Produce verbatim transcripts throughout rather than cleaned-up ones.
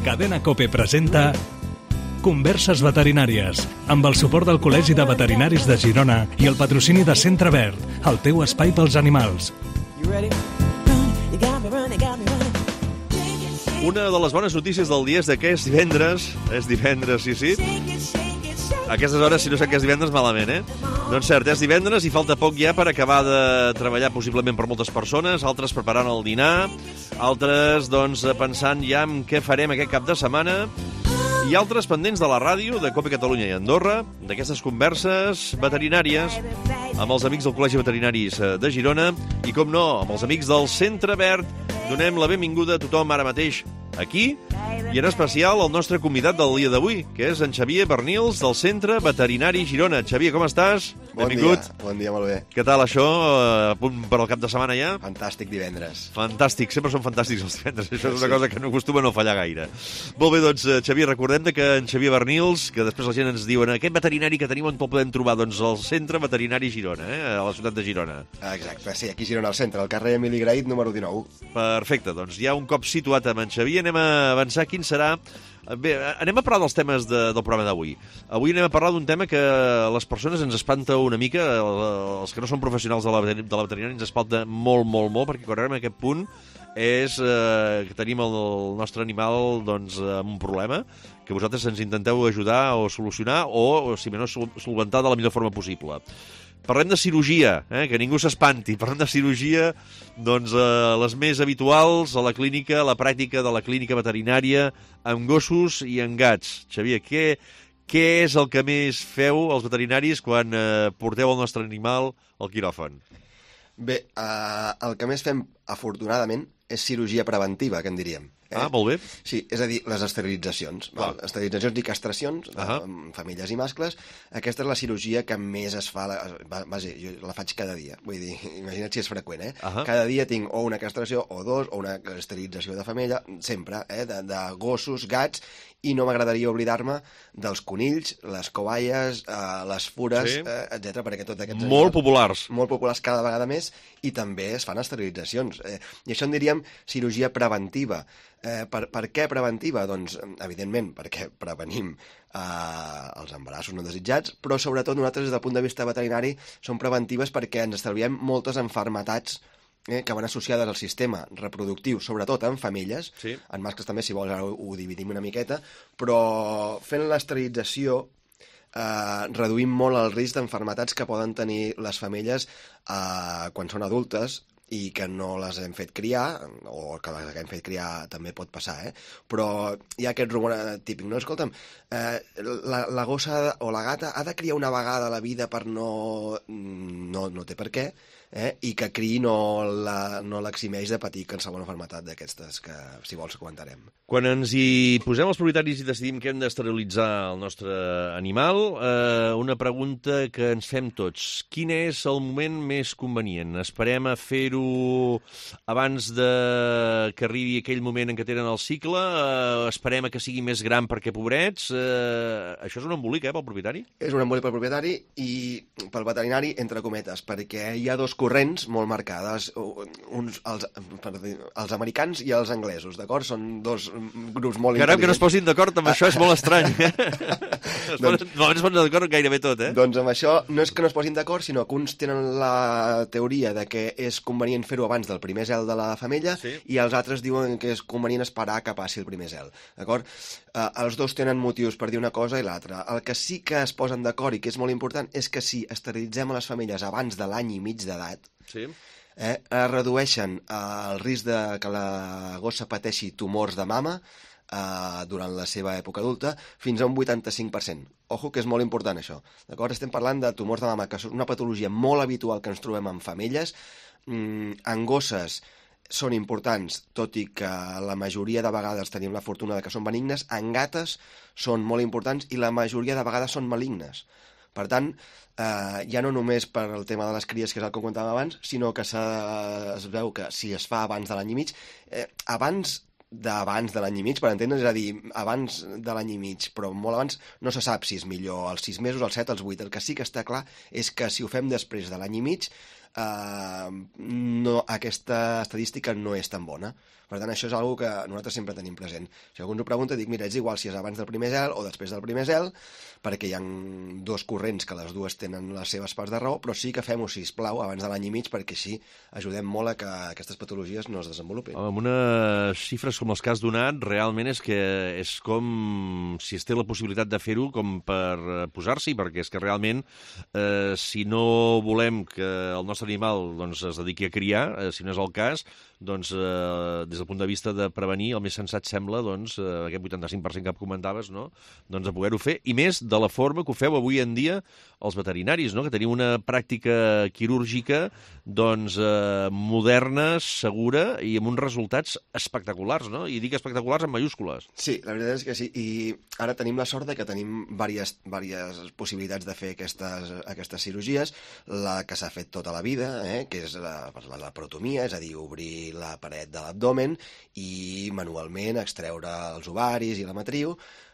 Cadena COPE presenta Converses veterinàries, amb el suport del Col·legi de Veterinaris de Girona i el patrocini de Centre Verd, el teu espai pels animals. Una de les bones notícies del dia és que és divendres, és divendres, sí, sí. A aquestes hores, si no sé que és divendres, malament, eh? Doncs cert, és divendres i falta poc ja per acabar de treballar possiblement per moltes persones, altres preparant el dinar, altres, doncs, pensant ja en què farem aquest cap de setmana, i altres pendents de la ràdio, de COPE Catalunya i Andorra, d'aquestes converses veterinàries amb els amics del Col·legi Veterinaris de Girona i, com no, amb els amics del Centre Verd. Donem la benvinguda a tothom ara mateix aquí i en especial al nostre convidat del dia d'avui, que és en Xavier Bernils del Centre Veterinari Girona. Xavier, com estàs? Bon Benvingut. dia, bon dia, molt bé. Què tal això? A punt per al cap de setmana ja? Fantàstic divendres. Fantàstic, sempre són fantàstics els divendres. Això és una Sí. cosa que no acostuma a no fallar gaire. Molt bé, doncs, Xavier, recordem que en Xavier Bernils, que després la gent ens diuen aquest veterinari que tenim on el podem trobar, doncs al Centre Veterinari Girona, eh? A la ciutat de Girona. Exacte, sí, aquí a Girona, al centre, al carrer Emili Grahit, número dinou. Perfecte, doncs ja un cop situat amb en Xavier anem a avançar. Quin serà... Bé, anem a parlar dels temes de, del programa d'avui. Avui anem a parlar d'un tema que a les persones ens espanta una mica, els que no són professionals de la, de la veterinària ens espanta molt, molt, molt, perquè quan arribem a aquest punt és eh, que tenim el, el nostre animal doncs, amb un problema que vosaltres ens intenteu ajudar o solucionar o, si menys, solventar de la millor forma possible. Parlem de cirurgia, eh? Que ningú s'espanti. Parlem de cirurgia, doncs, eh, les més habituals a la clínica, a la pràctica de la clínica veterinària, amb gossos i amb gats. Xavier, què, què és el que més feu els veterinaris quan eh, porteu el nostre animal al quiròfan? Bé, eh, el que més fem, afortunadament, és cirurgia preventiva, que en diríem. Eh? Ah, molt bé. Sí, és a dir, les esterilitzacions. Val? Esterilitzacions i castracions, uh -huh. amb femelles i mascles. Aquesta és la cirurgia que més es fa... La, vaja, jo la faig cada dia. Vull dir, imagina't si és freqüent, eh? Uh -huh. Cada dia tinc o una castració, o dos, o una esterilització de femella, sempre, eh? De, de gossos, gats, i no m'agradaria oblidar-me dels conills, les coballes, eh, les fures, sí. eh, etcètera, perquè tots aquests... Molt populars. Molt populars cada vegada més, i també es fan esterilitzacions. Eh, I això en diríem cirurgia preventiva. Eh, per, per què preventiva? Doncs, evidentment, perquè prevenim eh, els embarassos no desitjats, però sobretot nosaltres, des del punt de vista veterinari, són preventives perquè ens estalviem moltes malalties eh, que van associades al sistema reproductiu, sobretot en femelles, sí. En mascles també, si vols, ara ho, ho dividim una miqueta, però fent l'esterilització eh, reduïm molt el risc d'malalties que poden tenir les femelles eh, quan són adultes, i que no les hem fet criar, o que les hem fet criar també pot passar, eh? Però hi ha aquest rumor típic, no? Escolta'm, eh, la, la gossa o la gata ha de criar una vegada a la vida per no... No, no té per què, eh? I que criï no l'eximeix no de patir qualsevol malaltia d'aquestes que, si vols, comentarem. Quan ens hi posem els propietaris i decidim que hem d'esterilitzar el nostre animal, eh, una pregunta que ens fem tots. Quin és el moment més convenient? Esperem a fer-ho abans de que arribi aquell moment en què tenen el cicle? Eh, esperem a que sigui més gran perquè, pobrets? Eh, això és un embolic, eh, pel propietari? És un embolic pel propietari i pel veterinari, entre cometes, perquè hi ha dos corrents molt marcades, uns, els, els americans i els anglesos, d'acord? Són dos grups molt Caram, intel·ligents. que no es posin d'acord amb això és molt estrany. doncs, no es posen d'acord gairebé tot, eh? Doncs amb això no és que no es posin d'acord, sinó que uns tenen la teoria de que és convenient fer-ho abans del primer zel de la femella, sí. I els altres diuen que és convenient esperar que passi el primer zel, d'acord? Eh, els dos tenen motius per dir una cosa i l'altra. El que sí que es posen d'acord i que és molt important és que si esterilitzem a les femelles abans de l'any i mig d'edat, sí. eh, redueixen eh, el risc de que la gossa pateixi tumors de mama eh, durant la seva època adulta fins a un vuitanta-cinc per cent. Ojo, que és molt important això. D'acord? Estem parlant de tumors de mama, que és una patologia molt habitual que ens trobem en femelles. Mm, en gosses són importants, tot i que la majoria de vegades tenim la fortuna de que són benignes. En gates són molt importants i la majoria de vegades són malignes. Per tant, eh, ja no només per el tema de les cries, que és el que comentàvem abans, sinó que es veu que si es fa abans de l'any i mig, eh, abans d'abans de l'any i mig, per entendre's, és a dir, abans de l'any i mig, però molt abans no se sap si és millor als sis mesos, als set, als vuit. El que sí que està clar és que si ho fem després de l'any i mig, eh, no, aquesta estadística no és tan bona. Per tant, això és una cosa que nosaltres sempre tenim present. Si algú ens ho pregunta, dic, mira, és igual si és abans del primer zel o després del primer zel, perquè hi ha dos corrents que les dues tenen les seves parts de raó, però sí que fem-ho, sisplau, abans de l'any i mig, perquè així ajudem molt a que aquestes patologies no es desenvolupin. Amb unes xifres com les que has donat, realment és que és com si es té la possibilitat de fer-ho com per posar-s'hi, perquè és que realment, eh, si no volem que el nostre animal doncs, es dediqui a criar, eh, si no és el cas, doncs, eh, des del punt de vista de prevenir, el més sensat sembla, doncs, eh, aquest vuitanta-cinc per cent que comentaves, no? Doncs de poder-ho fer, i més de la forma que ho feu avui en dia els veterinaris, no? Que teniu una pràctica quirúrgica doncs, eh, moderna, segura i amb uns resultats espectaculars, no? I dic espectaculars en mayúscules. Sí, la veritat és que sí, i ara tenim la sort de que tenim diverses, diverses possibilitats de fer aquestes, aquestes cirurgies, la que s'ha fet tota la vida, eh, que és la, la laparotomia, és a dir, obrir la paret de l'abdomen i manualment extreure els ovaris i la matriu,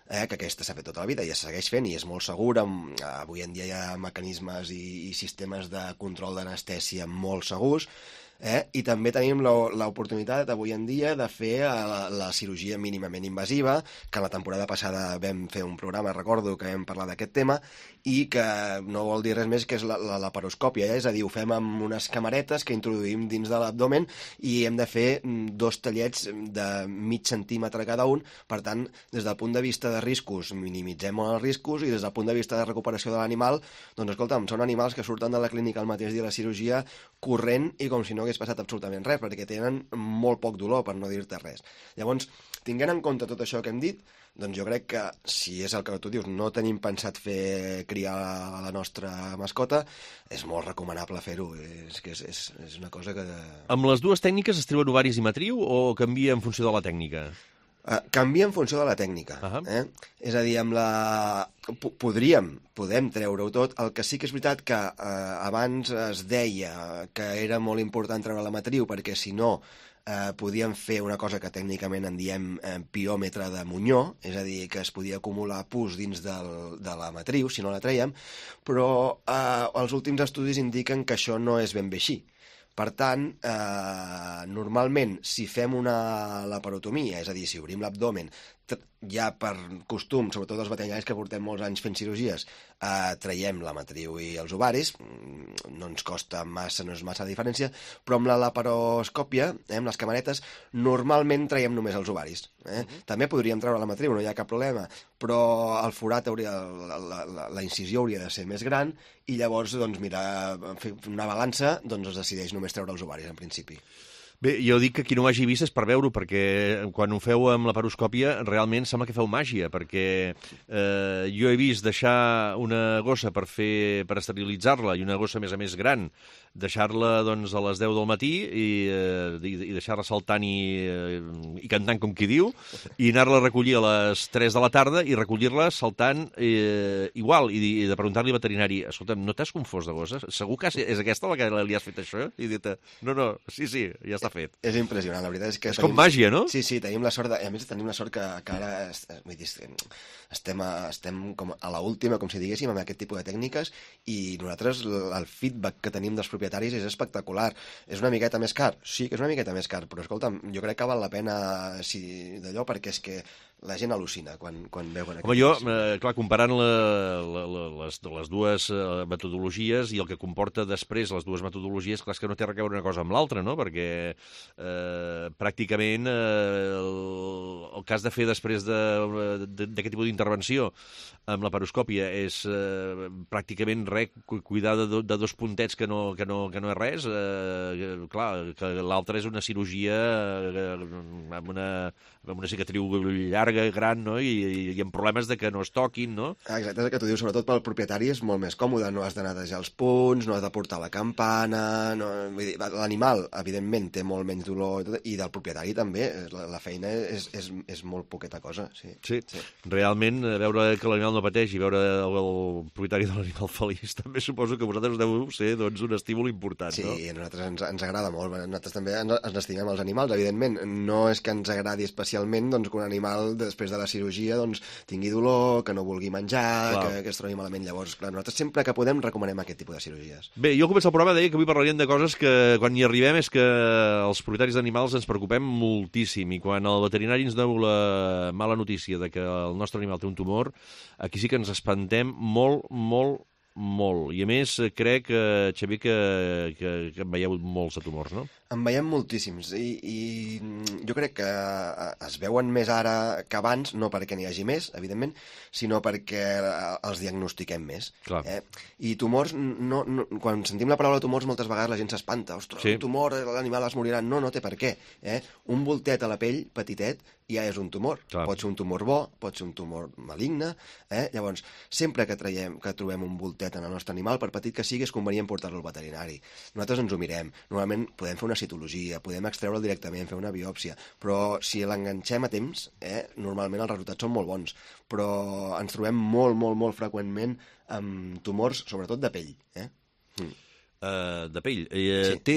eh, que aquesta s'ha fet tota la vida i es segueix fent i és molt segura. Avui en dia hi ha mecanismes i, i sistemes de control d'anestèsia molt segurs, eh? I també tenim l'oportunitat avui en dia de fer la, la cirurgia mínimament invasiva, que la temporada passada vam fer un programa, recordo que vam parlar d'aquest tema, i que no vol dir res més que és la, la laparoscòpia, eh? És a dir, ho fem amb unes camaretes que introduïm dins de l'abdomen i hem de fer dos tallets de mig centímetre cada un. Per tant, des del punt de vista de riscos, minimitzem els riscos, i des del punt de vista de recuperació de l'animal, doncs escolta'm, són animals que surten de la clínica el mateix dia de la cirurgia corrent i com si no hagués passat absolutament res, perquè tenen molt poc dolor, per no dir-te res. Llavors, tinguent en compte tot això que hem dit, doncs jo crec que, si és el que tu dius, no tenim pensat fer criar la nostra mascota, és molt recomanable fer-ho. És que és, és, és una cosa que... Amb les dues tècniques es treuen ovaris i matriu o canvia en funció de la tècnica? Uh, canvia en funció de la tècnica. Uh -huh. eh? És a dir, amb la... P podríem, podem treure-ho tot. El que sí que és veritat que uh, abans es deia que era molt important treure la matriu perquè si no eh, podíem fer una cosa que tècnicament en diem eh, piòmetre de Muñó, és a dir, que es podia acumular pus dins del, de la matriu si no la traiem, però eh, els últims estudis indiquen que això no és ben bé així. Per tant, eh, normalment, si fem una laparotomia, és a dir, si obrim l'abdomen, ja per costum, sobretot els veterinaris que portem molts anys fent cirurgies, eh, traiem la matriu i els ovaris, no ens costa massa, no és massa la diferència, però amb la laparoscòpia, eh, amb les camaretes, normalment traiem només els ovaris. Eh? Uh-huh. També podríem treure la matriu, no hi ha cap problema, però el forat hauria, la, la, la, la incisió hauria de ser més gran i llavors, doncs, mira, fer una balança, doncs es decideix només treure els ovaris, en principi. Bé, jo dic que qui no ho hagi vist és per veure-ho, perquè quan ho feu amb la laparoscòpia realment sembla que feu màgia, perquè eh, jo he vist deixar una gossa per fer per esterilitzar-la, i una gossa a més a més gran, deixar-la doncs, a les deu del matí i, eh, i, i deixar-la saltant i, eh, i cantant, com qui diu, i anar-la a recollir a les tres de la tarda i recollir-la saltant eh, igual, i, i de preguntar-li al veterinari, escolta'm, no t'has confós de gossa? Segur que és aquesta la que li has fet això? I dit, no, no, sí, sí, ja està fet. És impressionant, la veritat és que... És tenim... com màgia, no? Sí, sí, tenim la sort, de... a més tenim la sort que, que ara vull dir, estem, a, estem com a l'última, com si diguéssim, amb aquest tipus de tècniques, i nosaltres el feedback que tenim dels propietaris és espectacular. És una miqueta més car? Sí que és una miqueta més car, però escolta'm, jo crec que val la pena si, d'allò, perquè és que la gent al·lucina quan, quan veuen... Home, jo, eh, clar, comparant la, la, la, les, les dues eh, metodologies i el que comporta després les dues metodologies, clar, és que no té res a veure una cosa amb l'altra, no? Perquè eh, pràcticament eh, el, el cas de fer després d'aquest tipus d'intervenció amb la laparoscòpia és eh, pràcticament res, cuidar de, do, de dos puntets que no, que no, que no és res. Eh, clar, que l'altra és una cirurgia eh, amb, una, amb una cicatriu llarga, gran, no? I, i amb problemes de que no es toquin, no? Exacte, és el que tu dius, sobretot pel propietari és molt més còmode, no has de netejar els punts, no has de portar la campana, no... l'animal, evidentment, té molt menys dolor, i, tot, i del propietari també, la, la feina és, és, és molt poqueta cosa, sí. Sí, sí. Realment, veure que l'animal no pateix i veure el, el propietari de l'animal feliç, també suposo que vosaltres deu ser doncs, un estímul important, sí, no? Sí, a nosaltres ens, ens agrada molt, nosaltres també ens, ens estimem els animals, evidentment, no és que ens agradi especialment doncs, que un animal després de la cirurgia, doncs, tingui dolor, que no vulgui menjar, Clar. que, que es trobi malament. Llavors, clar, nosaltres sempre que podem recomanem aquest tipus de cirurgies. Bé, jo al començar el programa deia que avui parlaríem de coses que quan hi arribem és que els propietaris d'animals ens preocupem moltíssim, i quan el veterinari ens deu la mala notícia de que el nostre animal té un tumor, aquí sí que ens espantem molt, molt, molt. I a més, crec, que, Xavier, que, que, que en veieu molts de tumors, no? En veiem moltíssims i, i jo crec que es veuen més ara que abans, no perquè n'hi hagi més, evidentment, sinó perquè els diagnostiquem més. Clar. Eh? I tumors, no, no, quan sentim la paraula tumors moltes vegades la gent s'espanta. Ostres, Sí. un tumor, l'animal es morirà. No, no té per què. Eh? Un voltet a la pell, petitet, ja és un tumor. Clar. Pot ser un tumor bo, pot ser un tumor maligne. Eh? Llavors, sempre que, traiem, que trobem un voltet en el nostre animal, per petit que sigui, és convenient portar-lo al veterinari. Nosaltres ens ho mirem. Normalment podem fer una citologia, podem extreure'l directament, fer una biòpsia, però si l'enganxem a temps, eh, normalment els resultats són molt bons, però ens trobem molt, molt, molt freqüentment amb tumors, sobretot de pell. Eh? Mm. Uh, de pell. Uh, Sí. Té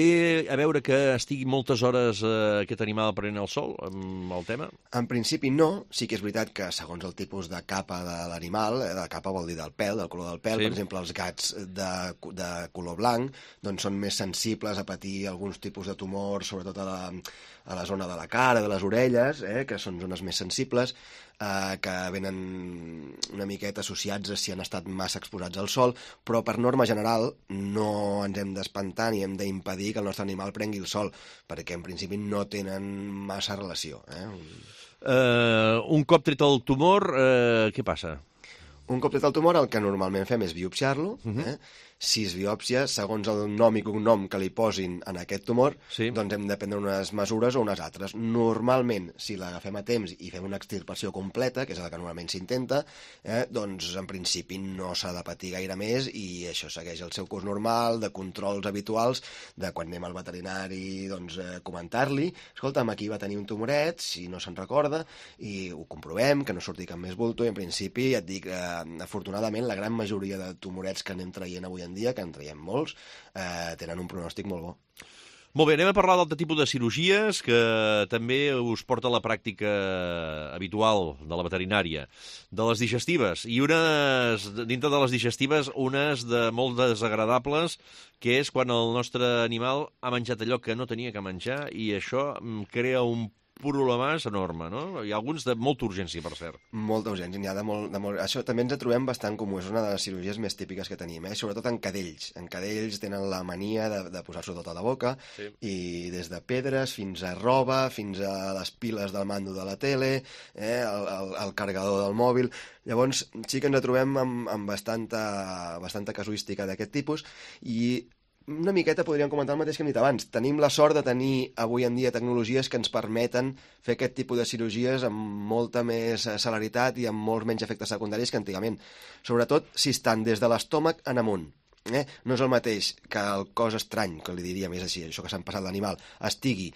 a veure que estigui moltes hores uh, aquest animal prenent el sol, amb el tema? En principi no, sí que és veritat que segons el tipus de capa de l'animal, eh, de capa vol dir del pèl, del color del pèl, Sí. per exemple, els gats de, de color blanc doncs són més sensibles a patir alguns tipus de tumors, sobretot a la, a la zona de la cara, de les orelles, eh, que són zones més sensibles, eh, que venen una miqueta associats a si han estat massa exposats al sol, però per norma general no ens hem d'espantar ni hem d'impedir que el nostre animal prengui el sol, perquè en principi no tenen massa relació. Eh? Uh, un cop tret el tumor, uh, què passa? Un cop tret el tumor, el que normalment fem és biopsiar-lo. Uh -huh. eh? Si es biòpsia, segons el nom i cognom que li posin en aquest tumor, Sí. doncs hem de prendre unes mesures o unes altres. Normalment, si l'agafem a temps i fem una extirpació completa, que és el que normalment s'intenta, eh, doncs en principi no s'ha de patir gaire més i això segueix el seu curs normal, de controls habituals, de quan anem al veterinari, doncs eh, comentar-li, escolta'm, aquí va tenir un tumoret, si no se'n recorda, i ho comprovem, que no surti cap més bulto, i en principi, ja et dic, eh, afortunadament, la gran majoria de tumorets que anem traient avui en dia, que en traiem molts, eh, tenen un pronòstic molt bo. Molt bé, anem a parlar d'altre tipus de cirurgies que també us porta a la pràctica habitual de la veterinària, de les digestives, i unes, dintre de les digestives, unes de molt desagradables, que és quan el nostre animal ha menjat allò que no tenia que menjar, i això crea un problemàs enorme, no? Hi ha alguns de molta urgència, per cert. Molta urgència, n'hi ha de molt, de molt... Això també ens trobem bastant comú, és una de les cirurgies més típiques que tenim, eh? Sobretot en cadells. En cadells tenen la mania de, de posar-s'ho tot a la boca, Sí. i des de pedres fins a roba, fins a les piles del mando de la tele, eh? el, el, el carregador del mòbil... Llavors, sí que ens trobem amb, amb bastanta, bastanta casuística d'aquest tipus, i una miqueta podríem comentar el mateix que hem dit abans. Tenim la sort de tenir avui en dia tecnologies que ens permeten fer aquest tipus de cirurgies amb molta més celeritat i amb molts menys efectes secundaris que antigament. Sobretot si estan des de l'estómac en amunt. Eh? No és el mateix que el cos estrany, que li diríem, és així, això que s'han passat l'animal, estigui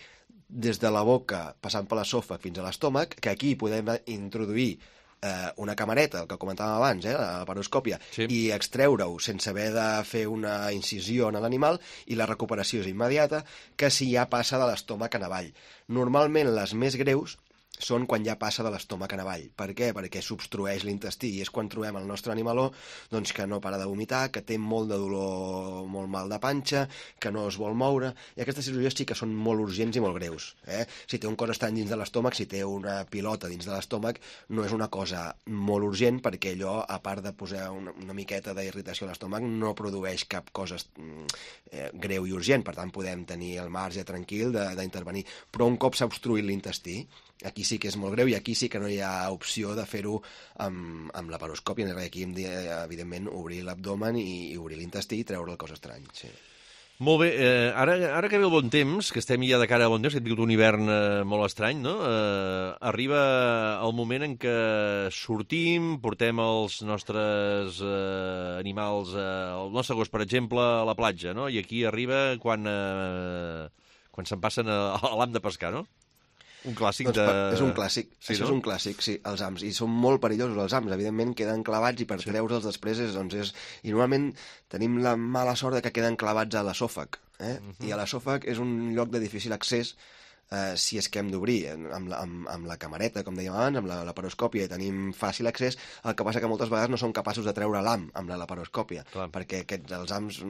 des de la boca passant per l'esòfag fins a l'estómac, que aquí podem introduir eh, una camareta, el que comentàvem abans, eh, la laparoscòpia, Sí. i extreure-ho sense haver de fer una incisió en l'animal, i la recuperació és immediata, que si ja passa de l'estómac en avall. Normalment les més greus són quan ja passa de l'estómac en avall. Per què? Perquè s'obstrueix l'intestí, i és quan trobem el nostre animaló doncs, que no para de vomitar, que té molt de dolor, molt mal de panxa, que no es vol moure, i aquestes cirurgies sí que són molt urgents i molt greus. Eh? Si té un cos estrany dins de l'estómac, si té una pilota dins de l'estómac, no és una cosa molt urgent, perquè allò, a part de posar una, una miqueta d'irritació a l'estómac, no produeix cap cosa eh, greu i urgent, per tant podem tenir el marge tranquil d'intervenir. Però un cop s'ha obstruït l'intestí, aquí sí que és molt greu, i aquí sí que no hi ha opció de fer-ho amb, amb la laparoscòpia. Aquí hem de, evidentment, obrir l'abdomen i, i obrir l'intestí i treure el cos estrany. Sí. Molt bé, eh, ara, ara que ve el bon temps, que estem ja de cara a bon temps, que hem tingut un hivern eh, molt estrany, no? Eh, arriba el moment en què sortim, portem els nostres eh, animals, eh, el nostre gos, per exemple, a la platja, no? I aquí arriba quan, eh, quan se'n passen a, a l'ham de pescar, no? Un clàssic doncs, de... És un clàssic, sí, això no? és un clàssic, sí, els hams, i són molt perillosos els hams, evidentment queden clavats, i per sí. treure'ls després és, doncs és... I normalment tenim la mala sort de que queden clavats a l'esòfag, eh? Uh -huh. I a l'esòfag és un lloc de difícil accés, eh, si és que hem d'obrir amb, la, amb, amb la camareta, com dèiem abans, amb la laparoscòpia, i tenim fàcil accés, el que passa que moltes vegades no som capaços de treure l'ham amb la laparoscòpia, Clar. perquè aquests, els hams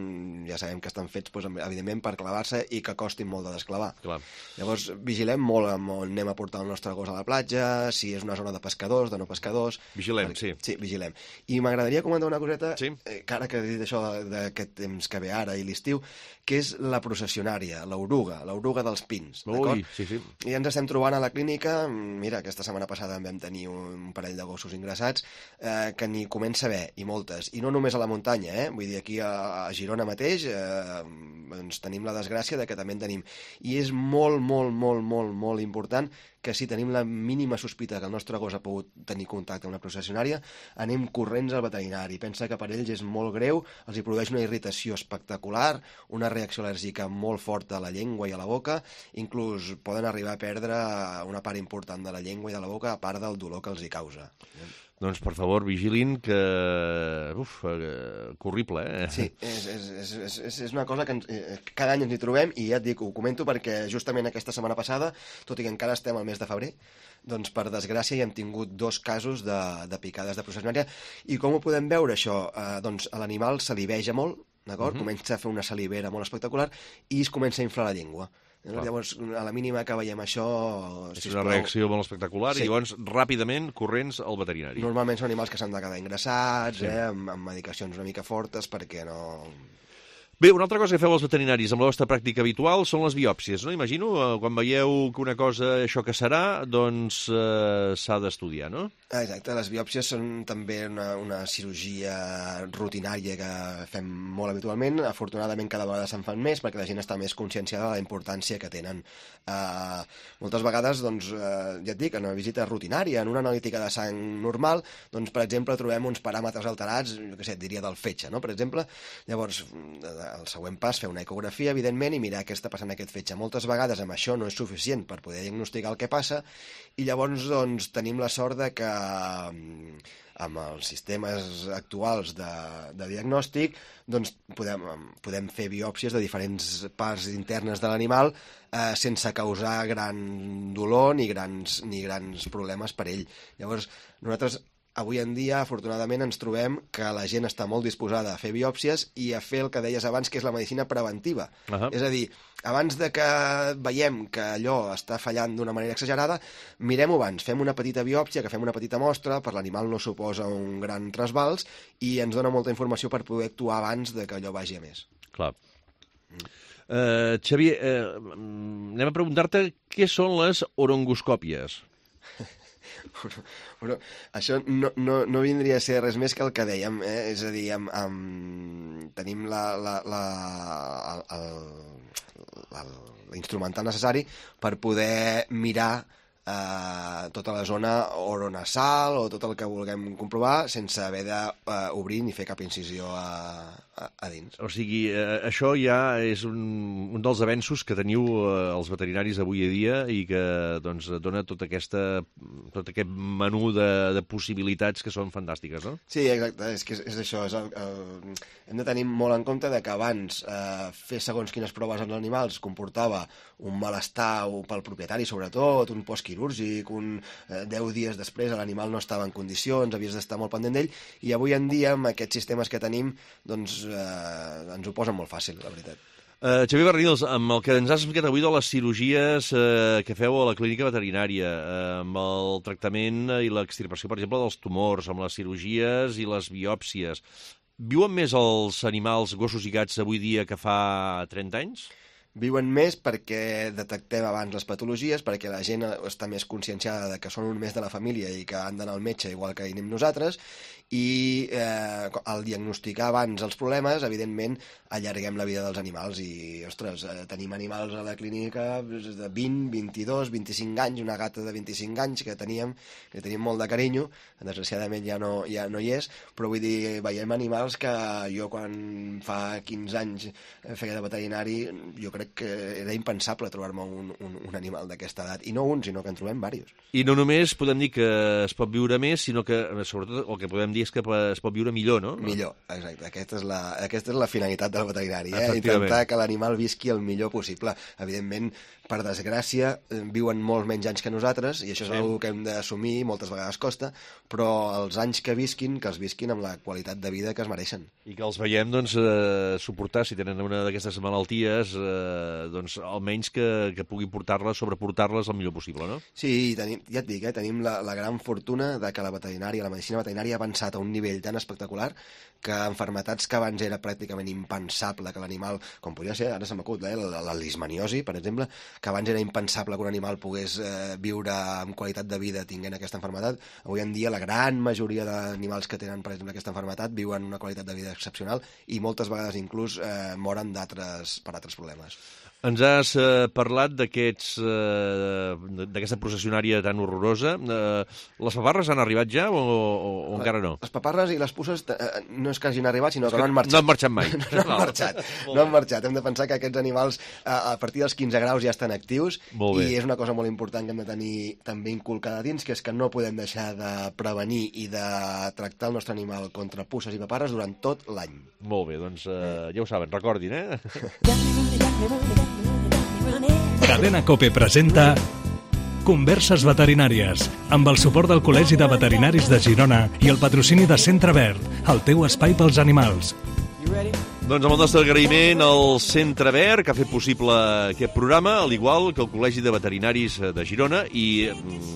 ja sabem que estan fets, doncs, evidentment, per clavar-se i que costin molt de desclavar. Clar. Llavors, vigilem molt amb on anem a portar el nostre gos a la platja, si és una zona de pescadors, de no pescadors... Vigilem, perquè, sí. Sí, vigilem. I m'agradaria comentar una coseta, Sí. eh, que ara que he dit això d'aquest temps que ve ara i l'estiu, que és la processionària, l'oruga, l'oruga dels pins, d'acord? Ui, sí, sí. I ens estem trobant a la clínica, mira, aquesta setmana passada en vam tenir un parell de gossos ingressats, eh, que n'hi comença a haver, i moltes, i no només a la muntanya, eh? Vull dir, aquí a, a Girona mateix eh, doncs tenim la desgràcia de que també en tenim. I és molt, molt, molt, molt, molt important que si tenim la mínima sospita que el nostre gos ha pogut tenir contacte amb una processionària, anem corrents al veterinari. Pensa que per ells és molt greu, els hi produeix una irritació espectacular, una reacció al·lèrgica molt forta a la llengua i a la boca, inclús poden arribar a perdre una part important de la llengua i de la boca, a part del dolor que els hi causa. Doncs, per favor, vigilin que... Uf, eh, que horrible, eh? Sí, és, és, és, és, és una cosa que ens, eh, cada any ens hi trobem, i ja et dic, ho comento perquè justament aquesta setmana passada, tot i que encara estem al mes de febrer, doncs per desgràcia hi hem tingut dos casos de, de picades de processionària. I com ho podem veure, això? Eh, doncs l'animal saliveja molt, d'acord? Uh-huh. Comença a fer una salivera molt espectacular i es comença a inflar la llengua. Clar. Llavors, a la mínima que veiem això... És sisplau, una reacció molt espectacular, sí. I llavors, ràpidament, corrents al veterinari. Normalment són animals que s'han de quedar ingressats, Sí. eh, amb, amb medicacions una mica fortes, perquè no... Bé, una altra cosa que feu els veterinaris amb la vostra pràctica habitual són les biòpsies, no? Imagino, eh, quan veieu que una cosa, això que serà, doncs eh, s'ha d'estudiar, no? Exacte, les biòpsies són també una, una cirurgia rutinària que fem molt habitualment. Afortunadament cada vegada se'n fan més perquè la gent està més conscienciada de la importància que tenen. Uh, moltes vegades, doncs, uh, ja et dic, en una visita rutinària, en una analítica de sang normal, doncs, per exemple, trobem uns paràmetres alterats, jo què sé, et diria del fetge, no?, per exemple. Llavors, el següent pas, fer una ecografia, evidentment, i mirar què està passant en aquest fetge. Moltes vegades amb això no és suficient per poder diagnosticar el que passa, i llavors, doncs, tenim la sort de que amb els sistemes actuals de, de diagnòstic, doncs podem, podem fer biòpsies de diferents parts internes de l'animal eh, sense causar gran dolor ni grans, ni grans problemes per ell. Llavors, nosaltres avui en dia, afortunadament, ens trobem que la gent està molt disposada a fer biòpsies i a fer el que deies abans, que és la medicina preventiva. Uh-huh. És a dir, abans de que veiem que allò està fallant d'una manera exagerada, mirem-ho abans, fem una petita biòpsia, que fem una petita mostra, per l'animal no suposa un gran trasbals, i ens dona molta informació per poder actuar abans de que allò vagi a més. Clar. Mm. Uh, Xavier, uh, anem a preguntar-te què són les orongoscòpies. Però això no, no, no vindria a ser res més que el que dèiem, eh? És a dir, amb, amb, tenim la, la, la, l'instrumental necessari per poder mirar eh, tota la zona oronasal o tot el que vulguem comprovar sense haver d'obrir ni fer cap incisió a, a, a dins. O sigui, eh, això ja és un, un dels avenços que teniu eh, els veterinaris avui a dia i que doncs, dona tota aquesta, tot aquest menú de, de possibilitats que són fantàstiques, no? Sí, exacte, és que és, és això. És el, el, hem de tenir molt en compte de que abans eh, fer segons quines proves als animals comportava un malestar pel propietari, sobretot, un postquirúrgic, un eh, deu dies després l'animal no estava en condicions, havies d'estar molt pendent d'ell, i avui en dia, amb aquests sistemes que tenim, doncs eh, ens ho posen molt fàcil, la veritat. Uh, Xavier Barnils, amb el que ens has explicat avui de les cirurgies uh, que feu a la clínica veterinària, uh, amb el tractament i l'extirpació, per exemple, dels tumors, amb les cirurgies i les biòpsies, viuen més els animals, gossos i gats, avui dia que fa trenta anys? Viuen més perquè detectem abans les patologies, perquè la gent està més conscienciada de que són un més de la família i que han d'anar al metge igual que hi anem nosaltres, i eh, al diagnosticar abans els problemes, evidentment, allarguem la vida dels animals i, ostres, eh, tenim animals a la clínica de vint, vint-i-dos, vint-i-cinc anys, una gata de vint-i-cinc anys que teníem, que teníem molt de carinyo, desgraciadament ja no, ja no hi és, però vull dir, veiem animals que jo quan fa quinze anys feia de veterinari, jo crec que era impensable trobar-me un, un, un animal d'aquesta edat, i no un, sinó que en trobem diversos. I no només podem dir que es pot viure més, sinó que, sobretot, el que podem dir és que es pot viure millor, no? Millor, exacte. Aquesta és la, aquesta és la finalitat del veterinari, eh? Intentar que l'animal visqui el millor possible. Evidentment, per desgràcia, viuen molts menys anys que nosaltres, i això és sí. una cosa que hem d'assumir, moltes vegades costa, però els anys que visquin, que els visquin amb la qualitat de vida que es mereixen. I que els veiem, doncs, eh, suportar, si tenen una d'aquestes malalties, eh, doncs, almenys que, que pugui portar-les, sobreportar-les el millor possible, no? Sí, tenim, ja et dic, eh, tenim la, la gran fortuna de que la veterinària, la medicina veterinària ha avançat a un nivell tan espectacular que enfermetats que abans era pràcticament impensable que l'animal, com podria ser, ara se m'acut, eh, la, la lismaniosi, per exemple, que abans era impensable que un animal pogués eh, viure amb qualitat de vida tinguent aquesta enfermetat. Avui en dia la gran majoria d'animals que tenen, per exemple, aquesta enfermetat viuen una qualitat de vida excepcional i moltes vegades inclús eh, moren d'altres per altres problemes. Ens has eh, parlat d'aquests eh, d'aquesta processionària tan horrorosa. Eh, les paparres han arribat ja o, o, o encara no? Les paparres i les puces eh, no és que hagin arribat, sinó que, que no han marxat. No han marxat mai. no, no han marxat. No han marxat. Hem de pensar que aquests animals eh, a partir dels quinze graus ja estan actius i és una cosa molt important que hem de tenir també inculcada dins, que és que no podem deixar de prevenir i de tractar el nostre animal contra puces i paparres durant tot l'any. Molt bé, doncs eh, ja ho saben, recordin, eh? Cadena COPE presenta Converses veterinàries, amb el suport del Col·legi de Veterinaris de Girona i el patrocini de Centre Verd, el teu espai pels animals. Doncs amb el nostre agraïment al Centre Verd, que ha fet possible aquest programa, al igual que el Col·legi de Veterinaris de Girona, i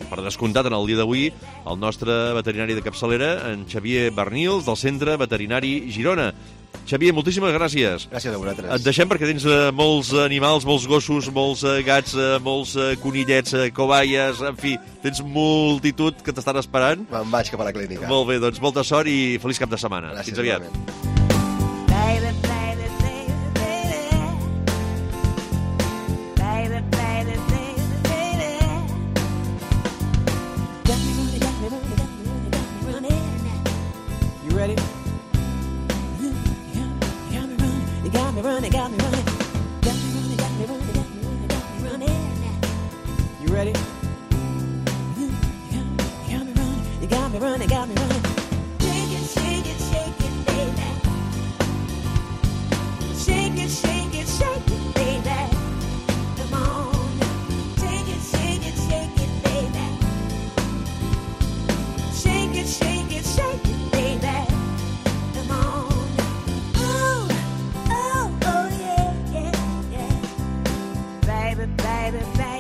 per descomptat en el dia d'avui, el nostre veterinari de capçalera, en Xavier Bernils, del Centre Veterinari Girona. Xavier, moltíssimes gràcies. Gràcies a vosaltres. Et deixem perquè tens uh, molts animals, molts gossos, molts uh, gats, uh, molts uh, conillets, uh, cobayes, en fi, tens multitud que t'estan esperant. Me'n vaig cap a la clínica. Molt bé, doncs molta sort i feliç cap de setmana. Gràcies, fins aviat. Igualment. Ready? You got me running, you got me running, got me running. Shake it, shake it, shake it, baby. Shake it, shake it, shake it, baby. Come on, shake it, shake it, shake it, baby. Shake it, shake it, shake it, baby. Come on. Oh, oh, oh, yeah, yeah, yeah. Baby, baby, baby.